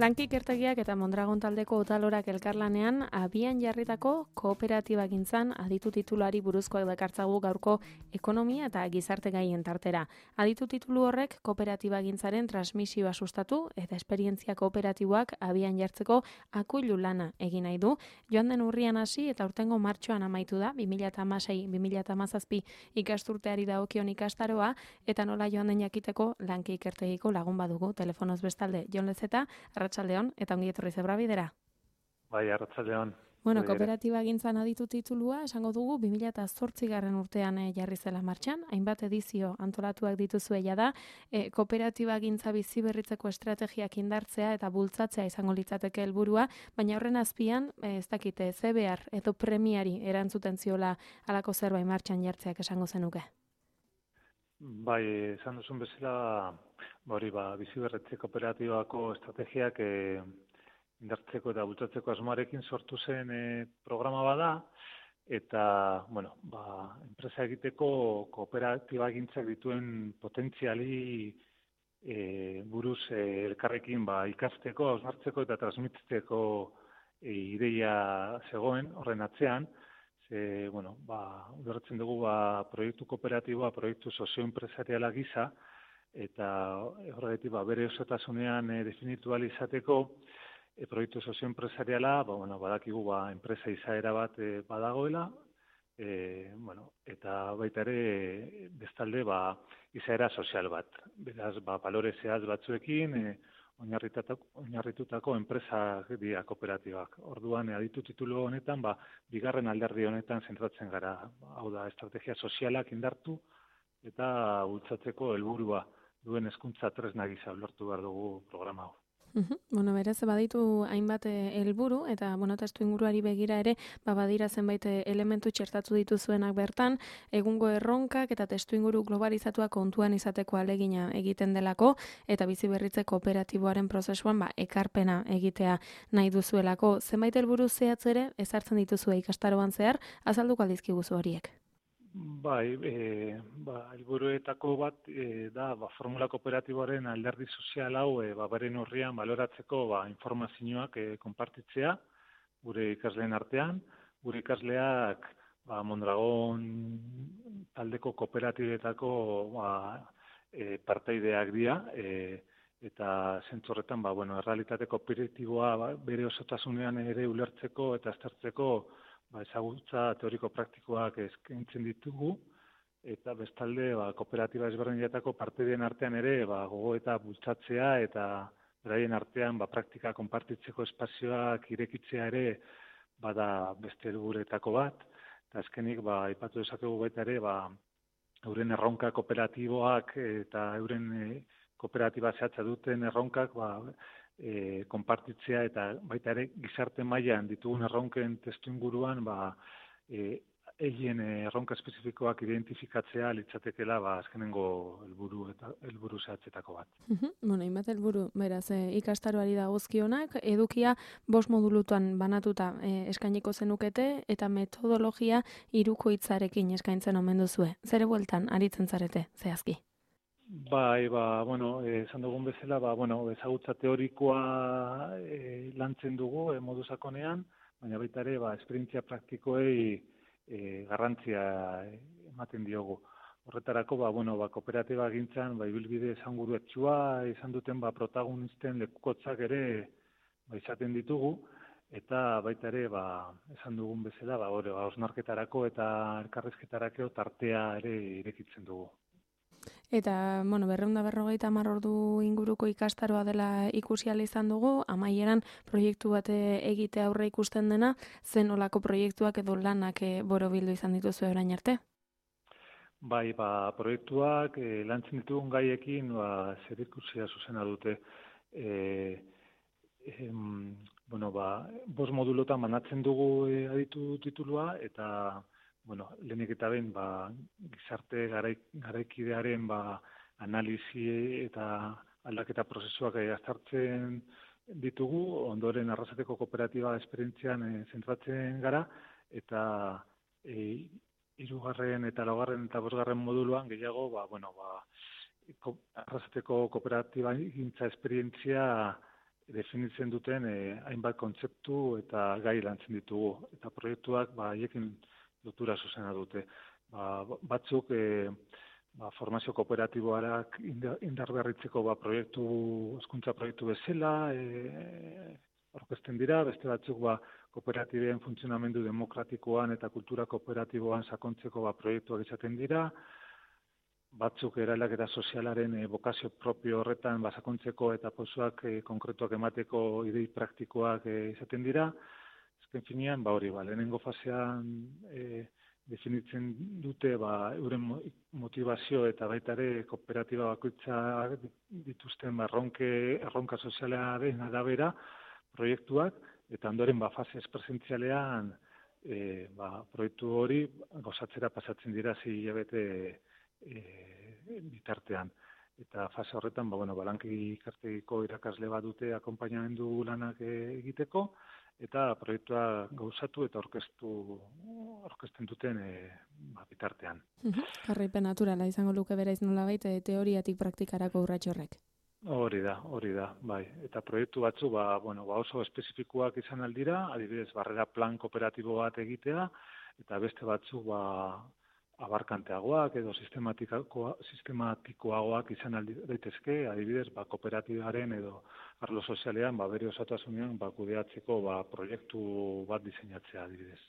Lanki ikertegiak eta Mondragon taldeko Otalorak elkarlanean abian jarritako kooperatiba gintzan aditu tituluari buruzkoak dakartzagu gaurko ekonomia eta gizarte gaien tartera. Aditu titulu horrek kooperatiba gintzaren transmisioa sustatu eta esperientzia kooperatiboak abian jartzeko akuilu lana egin nahi du. Joan den urrian hasi eta urtengo martxoan amaitu da 2016-2017 ikasturteari dagokion ikastaroa eta nola joan den jakiteko Lanki ikertegiko lagun badugu telefonoz bestalde Jon Lezeta. Arratsaldeon eta ongi etorri Zebrabidera. Bai, arratsaldeon. Bueno, kooperatiba gintzan aditu titulua esango dugu 2008 urtean jarri zela martxan, hainbat edizio antolatuak dituzue da, kooperatiba gintza bizi berritzeko estrategiak indartzea eta bultzatzea izango litzateke helburua, baina horren azpian, ez dakite, ze behar edo premiari erantzuten ziola halako zerbait martxan jartzeak esango zenuke. Bai, esan duzun bezala, bizi berritze kooperatibako estrategiak indartzeko eta bultzatzeko asmoarekin sortu zen programa bada, eta, enpresa egiteko kooperatiba gintzak dituen potentziali buruz elkarrekin ikasteko, hausnartzeko eta transmititzeko ideia zegoen horren atzean. Ulertzen dugu proiektu kooperatiboa, proiektu sozioenpresariala gisa, eta horregatik bere osotasunean definitu ahal izateko proiektu sozioenpresariala, badakigu enpresa izaera bat badagoela, eta baita ere bestalde izaera sozial bat. Beraz, balore zehatz batzuekin, oinarritutako enpresak dira kooperatibak. Orduan, aditu titulu honetan, bigarren alderdi honetan zentratzen gara. Hau da, estrategia sozialak indartu eta bultzatzeko helburua duen hezkuntza tresna gisa ulertu behar dugu programa hau. Berez, baditu hainbat helburu eta testuinguruari begira ere, badira zenbait elementu txertatu dituzuenak bertan, egungo erronkak eta testuinguru globalizatua kontuan izateko ahalegina egiten delako, eta bizi berritze kooperatiboaren prozesuan ekarpena egitea nahi duzuelako. Zenbait helburu zehatz ere ezartzen dituzue ikastaroan zehar, azalduko aldizkiguzu horiek. Bai, helburuetako bat da formula kooperatiboaren alderdi sozial hau beren urrian baloratzeko informazioak konpartitzea gure ikasleen artean. Gure ikasleak Mondragon taldeko kooperatibetako partaideak dira, eta zentzu horretan errealitate kooperatiboa bere osotasunean ere ulertzeko eta aztertzeko ezagutza teoriko-praktikoak eskaintzen ditugu, eta bestalde kooperatiba ezberdinetako parteideen artean ere gogoeta bultzatzea eta beraien artean praktika konpartitzeko espazioak irekitzea ere bada beste helburuetako bat, eta azkenik aipatu dezakegu baita ere euren erronka kooperatiboak eta euren kooperatiba zehatza duten erronkak konpartitzea eta baita ere gizarte mailan ditugun erronken testuinguruan egin erronka espezifikoak identifikatzea litzatekeela azkenengo helburu zehatzetako bat. Hainbat helburu, beraz, ikastaroari dagozkionak, edukia 5 modulutan banatuta eskainiko zenukete eta metodologia hirukoitzarekin eskaintzen omen duzue. Zere bueltan aritzen zarete, zehazki? Bai, esan dugun bezala, ezagutza teorikoa lantzen dugu modu sakonean, baina baita ere, esperientzia praktikoei garrantzia ematen diogu. Horretarako, kooperatiba gintzan, ibilbide esanguruetsua izan duten protagonisten lekukotzak ere izaten ditugu, eta baita ere, esan dugun bezala, hausnarketarako eta elkarrizketarako tartea ere irekitzen dugu. Eta, 250 ordu inguruko ikastaroa dela ikusi ahal izan dugu, amaieran proiektu bat egite aurre ikusten dena, zen olako proiektuak edo lanak borobildu izan dituzu orain arte? Bai, proiektuak lantzen ditugun gaiekin zerikusia zuzena dute. 5 modulotan banatzen dugu aditu titulua, eta lehenik eta behin gizarte garaikidearen analisi eta aldaketa prozesuak aztertzen ditugu, ondoren Arrasateko kooperatiba esperientzian zentratzen gara, eta 3. eta 4. eta 5. moduluan gehiago Arrasateko kooperatiba gintza esperientzia definitzen duten hainbat kontzeptu eta gai lantzen ditugu. Eta proiektuak haiekin lotura zuzena dute. Batzuk formazio kooperatiboarak indarberritzeko hezkuntza proiektu bezala aurkezten dira, beste batzuk kooperatiben funtzionamendu demokratikoan eta kultura kooperatiboan sakontzeko proiektuak izaten dira, batzuk eraldaketa sozialaren bokazio propio horretan sakontzeko eta pausoak konkretuak emateko idei praktikoak izaten dira. Azken finean, hori, lehenengo fasean definitzen dute euren motivazio eta baita ere kooperatiba bakoitza dituzten erronka sozialaren arabera proiektuak, eta ondoren fase presentzialean proiektu hori gozatzera pasatzen dira 6 hilabete bitartean. Eta fase horretan, lanki ikartegiko irakasle bat dute akonpainamendu lanak egiteko, eta proiektua gauzatu eta aurkezten duten bitartean. Jarraipen naturala izango luke beraiz nolabait teoriatik praktikarako urrats horrek. Hori da, bai. Eta proiektu batzu oso espezifikoak izan aldira, adibidez barrera plan kooperatibo bat egitea, eta beste batzu abarkanteagoak edo sistematikoagoak izan daitezke, adibidez kooperatibaren edo arlo sozialean bere osotasunean kudeatzeko proiektu bat diseinatzea adibidez.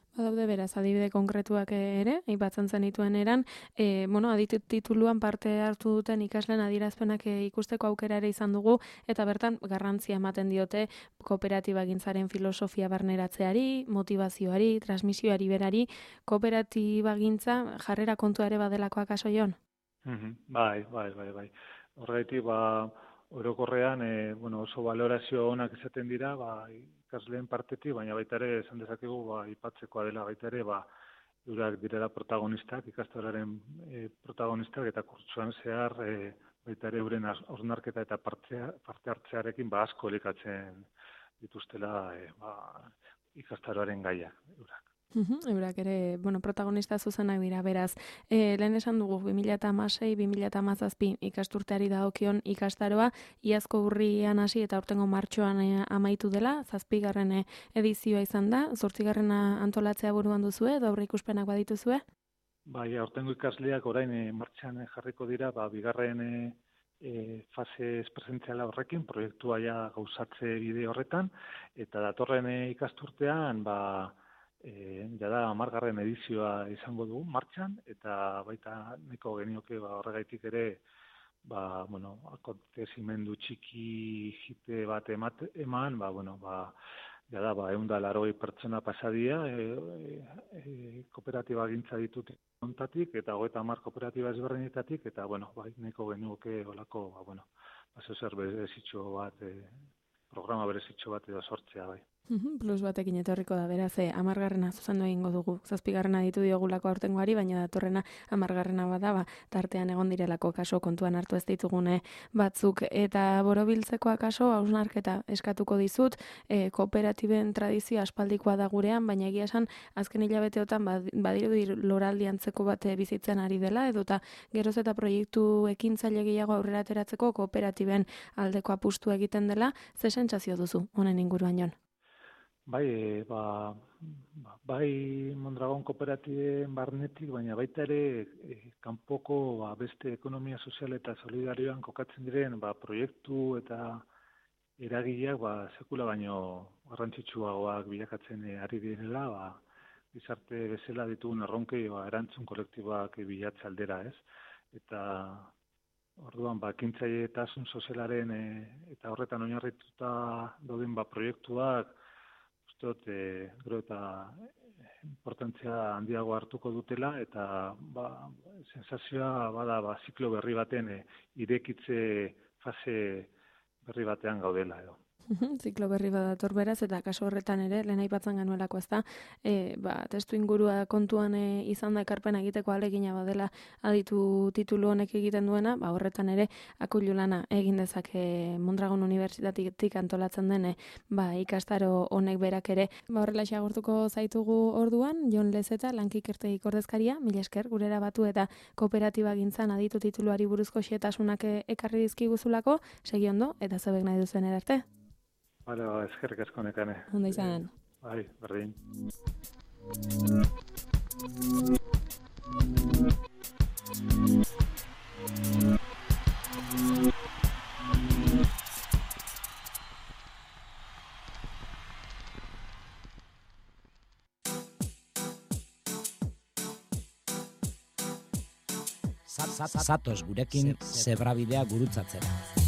Badaude beraz, adibide konkretuak ere, aipatzen zenituen eran, aditu tituluan parte hartu duten ikasleen adierazpenak ikusteko aukera ere izan dugu, eta bertan garrantzia ematen diote kooperatibagintzaren filosofia barneratzeari, motivazioari, transmisioari berari, kooperatibagintza jarrera kontua ere badelako akaso Jon? Bai. Horregatik, orokorrean, oso balorazio onak izaten dira, ikasleen partetik, baina baita ere esan dezakegu aipatzekoa dela baita ere eurak direla protagonistak, ikastoraren protagonistak, eta kurtsuan zehar baita ere euren hausnarketa eta parte hartzearekin asko elikatzen dituztela ikastaroaren gaiak eurak. Eurak ere, protagonista zuzenak dira, beraz. Lehen esan dugu, 2016-2017 ikasturteari dagokion ikastaroa, iazko urrian hasi eta aurtengo martxoan amaitu dela, 7. edizioa izan da, 8. antolatzea buruan duzue, edo aurreikuspenak badituzue? Bai, aurtengo ikasleak orain martxan jarriko dira, bigarren fase presentziala horrekin, proiektua gauzatze bide horretan, eta datorren ikasturtean, jada 10. edizioa izango dugu martxan, eta baita nahiko genioke horregaitik ere akontezimendu txiki jite bat eman, jada 180 pertsona pasadia kooperatiba gintza ditut ontatik, eta 30 kooperatiba ezberdinetatik, eta nahiko genioke olako zer berezitxo bat, programa berezitxo bat edo sortzea bai. Plus batekin etorriko da, beraz, 10. zuzendu egingo dugu. 7. ditu diogulako aurtengoari, baina datorrena 10. bada, tartean egon direlako kaso kontuan hartu ez ditugune batzuk. Eta borobiltzeko akaso, hausnarketa eskatuko dizut, kooperatiben tradizioa aspaldikoa da gurean, baina egia esan, azken hilabeteotan badirudi loraldi antzeko bat bizitzen ari dela, edota geroz eta proiektu ekintzaile gehiago aurrera ateratzeko kooperatiben aldeko apustu egiten dela, ze sentsazio duzu honen inguruan Jon? Bai, Mondragon kooperatiben barnetik, baina baita ere kanpoko beste ekonomia sozial eta solidarioan kokatzen diren proiektu eta eragileak sekula baino garrantzitsuagoak bilakatzen ari direla, gizarte bezala ditugun erronkei erantzun kolektiboak bilatze aldera, ez? Eta orduan ekintzaileetasun sozialaren eta horretan oinarrituta dauden proiektuak gero eta importantzia handiago hartuko dutela, eta sensazioa ziklo berri baten irekitze fase berri batean gaudela edo. Ziklo berri badator beraz, eta kasu horretan ere, lehen aipatzen genuelako ezta, testu ingurua kontuan izan da ekarpena egiteko ahalegina badela aditu titulu honek egiten duena, horretan ere akuilu lana egin dezake Mondragon Unibertsitatetik antolatzen den ikastaro honek berak ere. Horrelaxe agurtuko zaitugu orduan, Jon Lezeta, Lankikertegik ordezkaria, mila esker gurera batu eta kooperatiba gintzan aditu tituluari buruzko xehetasunak ekarri dizkiguzulako, segi ondo, eta zebek nahi duzen edarte. Bale, eskerrik asko nekane. Ondo izan. Bai, berdin. Zatoz gurekin zebrabidea gurutzatzera.